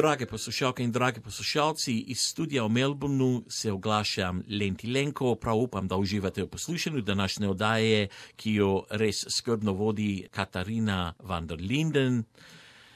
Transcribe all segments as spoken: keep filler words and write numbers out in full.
Drage poslušalke in dragi poslušalci, iz studia v Melbourneu se oglašam Lenti Lenko, prav upam, da uživate v poslušanju današnje oddaje, ki jo res skrbno vodi Katarina van der Linden.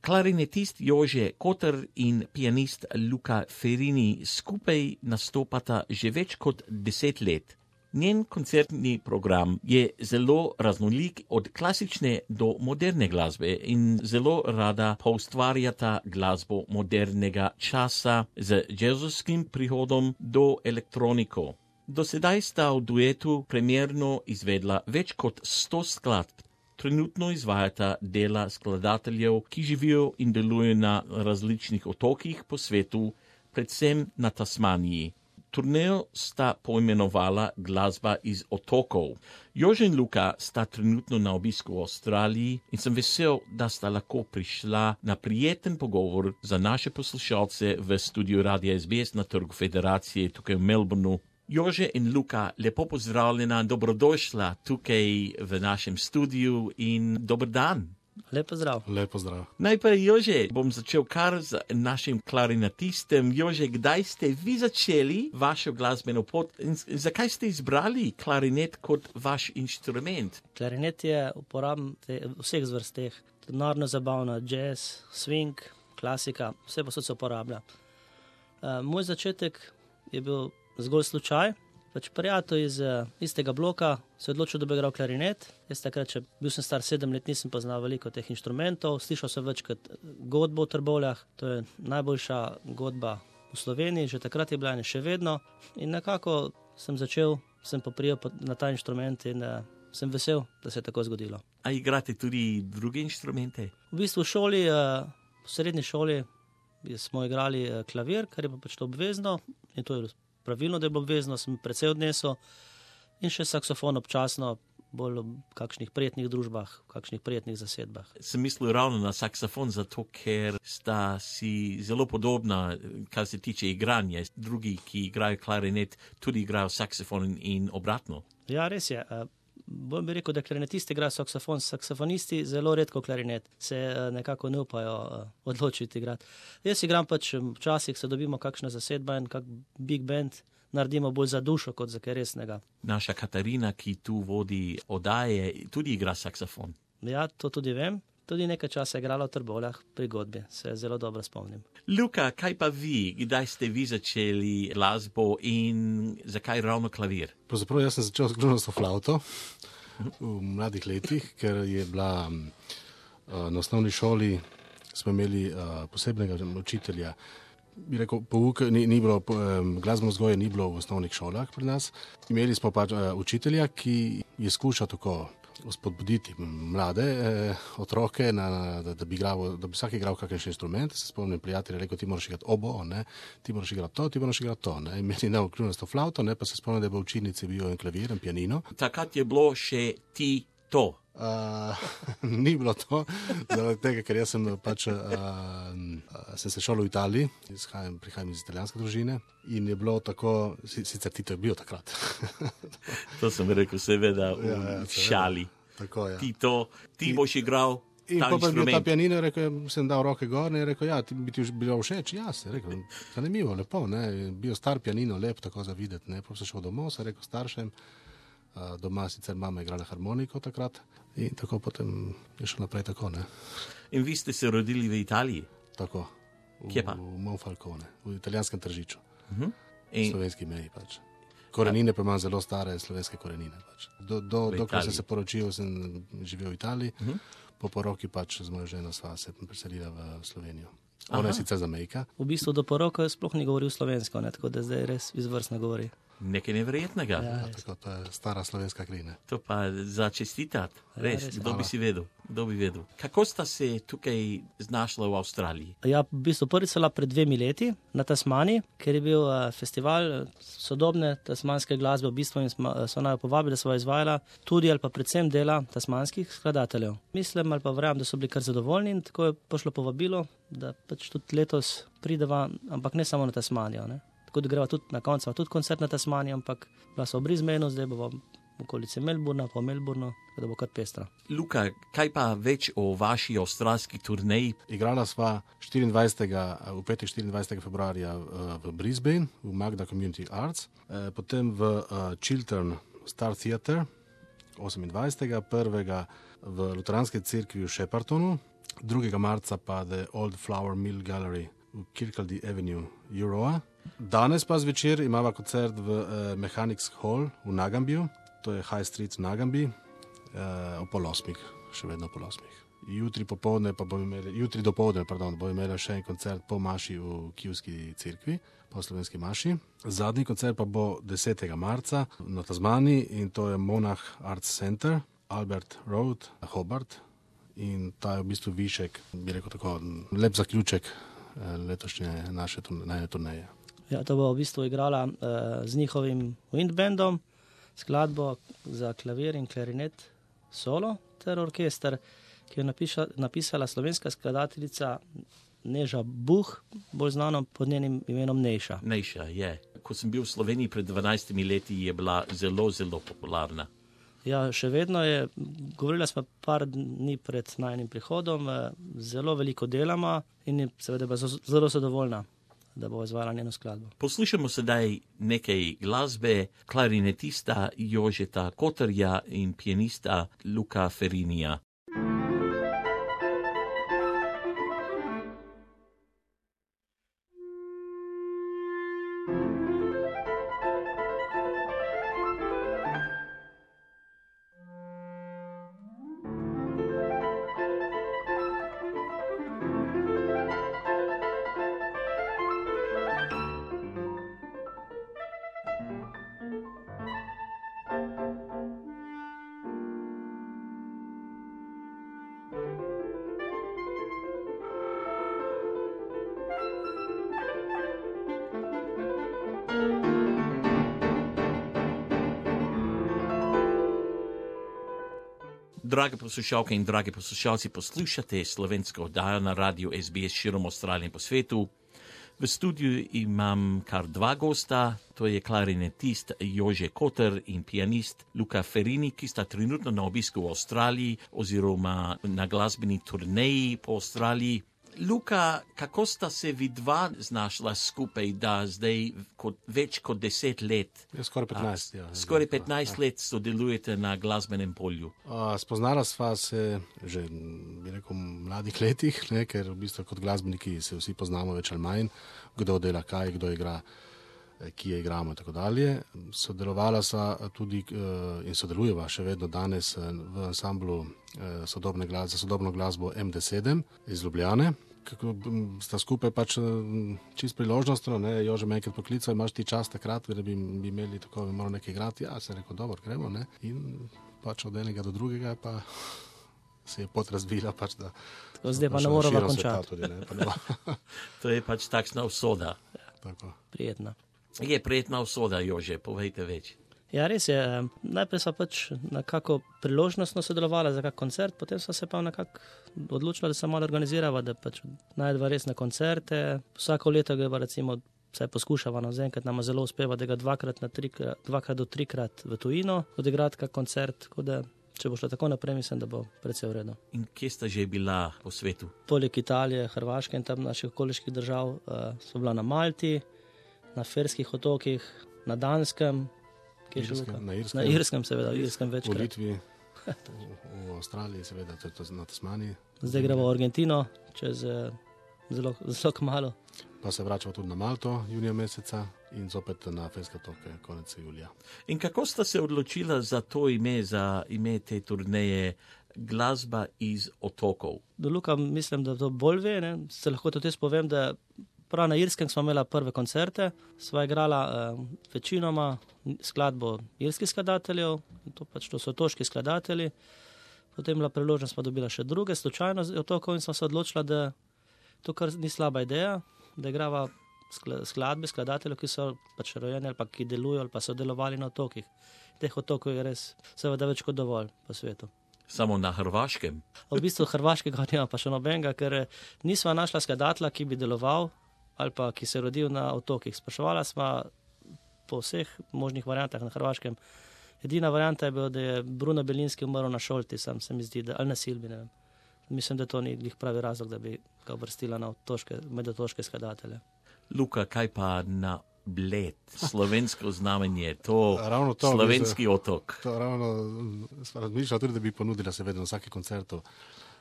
Klarinetist Jože Kotar in pianist Luca Ferrini skupaj nastopata že več kot deset let. Njen koncertni program je zelo raznolik od klasične do moderne glasbe in zelo rada poustvarjata glasbo modernega časa z jazzovskim prihodom do elektroniko. Do sedaj sta v duetu premierno izvedla več kot sto skladb. Trenutno izvajata dela skladateljev, ki živijo in delujejo na različnih otokih po svetu, predvsem na Tasmaniji. Turnejo sta poimenovala Glasba iz otokov. Jože in Luka sta trenutno na obisku v Avstraliji in sem vesel, da sta lahko prišla na prijeten pogovor za naše poslušalce v studiu Radia S B S na Trgu Federacije tukaj v Melbourneu. Jože in Luka, lepo pozdravljena, dobrodošla tukaj v našem studiu in dober dan. Lep pozdrav. Lep pozdrav. Najprej, Jože, bom začel kar z našim klarinetistem. Jože, kdaj ste vi začeli vašo glasbeno pot in zakaj ste izbrali klarinet kot vaš inštrument? Klarinet je uporaben v vseh zvrsteh. Narodno zabavna, jazz, swing, klasika, vse posod se uporablja. Uh, moj začetek je bil zgolj slučaj. Pač prijatelj iz uh, istega bloka se je odločil, da bi igral klarinet. Jaz takrat, če bil sem star sedem let, nisem poznal veliko teh inštrumentov. Slišal sem večkrat godbo v Trbovljah, to je najboljša godba v Sloveniji, že takrat je bila in še vedno. In nekako sem začel, sem poprijel na ta inštrument in uh, sem vesel, da se je tako zgodilo. A igrate tudi druge inštrumente? V bistvu v šoli, uh, v srednji šoli smo igrali uh, klavir, kar je pa pač to obvezno in to je pravilno, da je bilo obvezno, sem precej odnesel in še saksofon občasno, bolj v kakšnih prijetnih družbah, v kakšnih prijetnih zasedbah. Sem mislil ravno na saksofon, zato ker sta si zelo podobna, kar se tiče igranja. Drugi, ki igrajo klarinet, tudi igrajo saksofon in obratno. Ja, res je. Bolj bi rekel, da klarinetisti igrajo saksofon, saksofonisti zelo redko klarinet, se nekako ne upajo odločiti igrati. Jaz igram pač, včasih se dobimo kakšna zasedba in kak big band naredimo bolj za dušo, kot za kaj resnega. Naša Katarina, ki tu vodi oddaje, tudi igra saksofon. Ja, to tudi vem. Tudi nekaj časa je igrala v Trbovljah pri godbi, se zelo dobro spomnim. Luka, kaj pa vi? Kdaj ste vi začeli glasbo in zakaj ravno klavir? Pravzaprav jaz sem začel s flauto v mladih letih, ker je bila uh, na osnovni šoli, smo imeli uh, posebnega učitelja. Bi rekel, pouk, ni, ni bilo, um, glasbeno vzgoje ni bilo v osnovnih šolah pri nas. Imeli smo pač uh, učitelja, ki je skušal tako spodbuditi mlade eh, otroke, na, da, da, bi igral, da bi vsak igral kakšen inštrument. Se spomnim, prijatelj je rekel, ti moraš igrati obo, ne? Ti moraš igrati to, ti moraš igrati to. Ne? In meni je dal kljunasto flauto, ne? Pa se spomnim, da je v učilnici bil en klavir, en pianino. Takrat je bilo še ti to. Uh, ni bilo to, zaradi tega, ker jaz sem pač uh, uh, sem se šel v Italiji, izhajam, prihajam iz italijanske družine in je bilo tako, sicer Tito je bil takrat. To sem rekel, seveda v ja, ja, šali. Tako, ja. Tito, ti in, boš igral in ta inštrument. In pa je bil ta pianino, rekel, sem dal roke gor in je rekel, ja, ti bi ti bilo všeč, ja, se je rekel, zanimivo, lepo, ne, bil star pianino, lep, tako za videti, ne, pa sem šel domov, sem rekel staršem, uh, doma sicer mama igrala harmoniko takrat. In tako potem je šlo naprej tako, ne. In vi ste se rodili v Italiji? Tako. V, Kje pa? V Monfalcone, v italijanskem Tržiču. Uh-huh. In slovenski meji pač. Korenine pa imam zelo stare slovenske korenine pač. Do, do, dokler sem se poročil, sem živel v Italiji, uh-huh. Po poroki pač z mojo ženo sva se preselila v Slovenijo. Ona je sicer Zamejka. V bistvu do poroke sploh ni govoril slovensko, ne, tako da zdaj res izvrstno govori. Nekaj neverjetnega. Ja, ja, tako, to je stara slovenska klina. To pa za čestitat, res, ja, res, kdo hvala. bi si vedel, kdo bi vedel. Kako sta se tukaj znašla v Avstraliji? Ja, v bistvu prvi so bila pred dvemi leti na Tasmaniji, ker je bil uh, festival sodobne tasmanske glasbe, v bistvu in smo, so naj povabili, da sva izvajala tudi ali pa predvsem dela tasmanskih skladateljev. Mislim ali pa verjamem, da so bili kar zadovoljni in tako je pošlo povabilo, da pač tudi letos prideva, ampak ne samo na Tasmanijo, ne. Tako da greva tudi na koncu, tudi koncert na Tasmaniji, ampak bila so v Brisbaneu, zdaj bomo v okolici Melbourna, po Melbournu, tako da bo kar pestra. Luka, kaj pa več o vaši avstralski turneji? Igrala sva štiriindvajsetega v petek štiriindvajsetega februarja v Brisbane, v Magda Community Arts, potem v Chiltern Star Theatre osemindvajsetega prvega v Luteranski cerkvi v Sheppartonu, drugega marca pa The Old Flower Mill Gallery v Kirkcaldy Avenue, Euroa. Danes pa zvečer imava koncert v uh, Mechanics Hall v Nagambiju, to je High Street v Nagambi, uh, o pol osmih, še vedno pol osmih. Jutri popovdne pa bomo imeli, jutri dopoldne, pardon, bomo imeli še en koncert po maši v Kijevski cerkvi, po slovenski maši. Zadnji koncert pa bo desetega marca na Tasmaniji in to je Monarch Arts Center, Albert Road, Hobart, in ta je v bistvu višek, bi rekel tako, lep zaključek letošnje naše najne turneje. Ja, to bo v bistvu igrala uh, z njihovim windbandom, skladbo za klavir in klarinet solo ter orkester, ki je napiša, napisala slovenska skladateljica Neža Buh, bolj znano pod njenim imenom Nejša. Nejša, je. Ko sem bil v Sloveniji pred dvanajstimi leti, je bila zelo, zelo popularna. Ja, še vedno je, govorila smo par dni pred najnim prihodom, zelo veliko delama in je seveda zelo zadovoljna, da bo izvajala njeno skladbo. Poslušamo sedaj nekaj glasbe klarinetista Jožeta Kotarja in pianista Luka Ferinija. Drage poslušalke in dragi poslušalci, poslušate slovensko oddajo na radiju S B S širom Avstralije in po svetu. V studiu imam kar dva gosta, to je klarinetist Jože Kotar in pianist Luka Ferini, ki sta trenutno na obisku v Avstraliji oziroma na glasbeni turneji po Avstraliji. Luka, kako sta se vi dva znašla skupaj, da zdaj kot, več kot deset let, ja, skoraj petnajst, a, ja, skoraj petnajst ja. let sodelujete na glasbenem polju? A, spoznala sva se že, bi rekel, v mladih letih, ne, ker v bistvu kot glasbeniki se vsi poznamo več ali manj, kdo dela kaj, kdo igra, ki je igramo in tako dalje. Sodelovala sva tudi in sodelujeva še vedno danes v ansamblu sodobne glas, za sodobno glasbo M D sedem iz Ljubljane. Kako sta skupaj pač čist priložnostno, ne, Jože me enkrat poklical, imaš ti čas takrat, da bi, bi imeli tako, bi moral nekaj igrati, ja, sem rekel, dobro, gremo, ne, in pač od enega do drugega pa se je pot razvila, pač da... Tako zdaj pa ne moramo končati. Tudi, ne, pa ne to je pač takšna usoda. Ja, tako. Prijetna. Je prijetna usoda, Jože, povejte več. Ja, res je. Najprej sva pač nekako priložnostno sodelovala za kak koncert, potem sva se pa nekako odločila, da se malo organizirava, da pač najdva resne koncerte. Vsako leto ga recimo vsaj poskušava, no, zaenkrat nama zelo uspeva, da ga dvakrat, na trikrat, dvakrat do trikrat v tujino odigrati kak koncert, tako da če bo šlo tako naprej, mislim, da bo precej v redu. In kje sta že bila po svetu? Poleg Italije, Hrvaške in tam naših okoliških držav uh, so bila na Malti, na Ferskih otokih, na Danskem, Irskem, na Irskem, na Irskem, seveda, v Irskem večkrat. V Litvi, v, v Avstraliji, seveda, tudi na Tasmaniji. Zdaj gremo v Argentino, čez zelo, zelo kmalo. Pa se vračamo tudi na Malto, junija meseca in zopet na Ferske otoke, konec julija. In kako sta se odločila za to ime, za ime te turneje, glasba iz otokov? Do Luka mislim, da to bolj ve, ne? Se lahko tudi jaz povem, da prav na Irskem smo imela prve koncerte, sva igrala eh, večinoma skladbo irskih skladateljev, to pač to so otoški skladatelji, potem bila priložnost, pa dobila še druge, slučajno z otokov in smo se odločila, da to kar ni slaba ideja, da igrava skladbe skladateljev, ki so pač rojeni ali pa ki delujo ali pa so delovali na otokih. Teh otokov je res seveda več kot dovolj po svetu. Samo na Hrvaškem? V bistvu Hrvaškega nima pa še nobenega, ker nisva našla skladatelja, ki bi deloval ali pa ki se rodil na otokih. Spraševala sva po vseh možnih variantah na Hrvaškem, Edina varianta je bila, da je Bruno Belinski umrl na Šolti, sam se mi zdi, da, ali na Silbi, ne vem. Mislim, da to ni glih pravi razlog, da bi ga uvrstila na otoške, med otoške skladatelje. Luka, kaj pa na Bled, slovensko znamenje, to, Ravno to slovenski bi, otok. To ravno sem razmišljal tudi, da bi ponudila seveda na vsaki koncertu,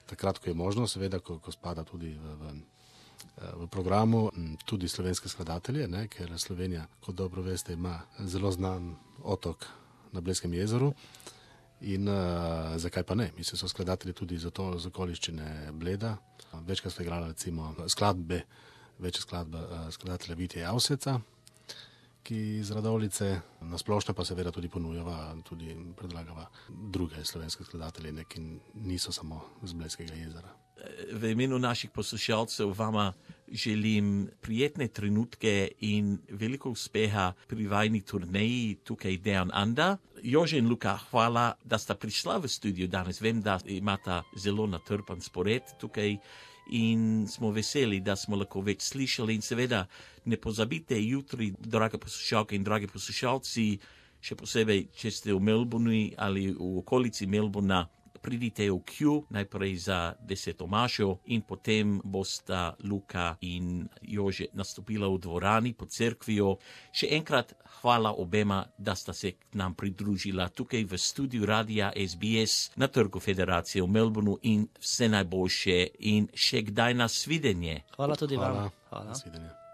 takrat, ko je možno, seveda, ko, ko spada tudi v, v, v programu, tudi slovenske skladatelje, ne, ker Slovenija, kot dobro veste, ima zelo znan otok na Bledskem jezeru. In uh, zakaj pa ne? Mislim, so skladatelji tudi za to z okoliščine Bleda. Večkrat so igrali recimo skladbe, večje skladbe uh, skladatelja Vitija Javseca, ki iz Radovljice, na splošno pa seveda tudi ponujava, tudi predlagava druge slovenske skladatelje, ki niso samo z Bledskega jezera. V imenu naših poslušalcev vama želim prijetne trenutke in veliko uspeha pri vajni turneji tukaj Dejan Anda. Jože in Luka, hvala, da sta prišla v studio danes. Vem, da imata zelo natrpan spored tukaj in smo veseli, da smo lahko več slišali. In seveda ne pozabite jutri, drage poslušalke in dragi poslušalci, še posebej, če ste v Melbournu ali v okolici Melbourna, pridite v Q, najprej za deseto mašo in potem bosta Luka in Jože nastopila v dvorani pod cerkvijo. Še enkrat hvala obema, da sta se k nam pridružila tukaj v studiu Radia S B S na Trgu Federacije v Melbournu in vse najboljše in še kdaj na svidenje. Hvala tudi Hvala. vam. Hvala. Na svidenje.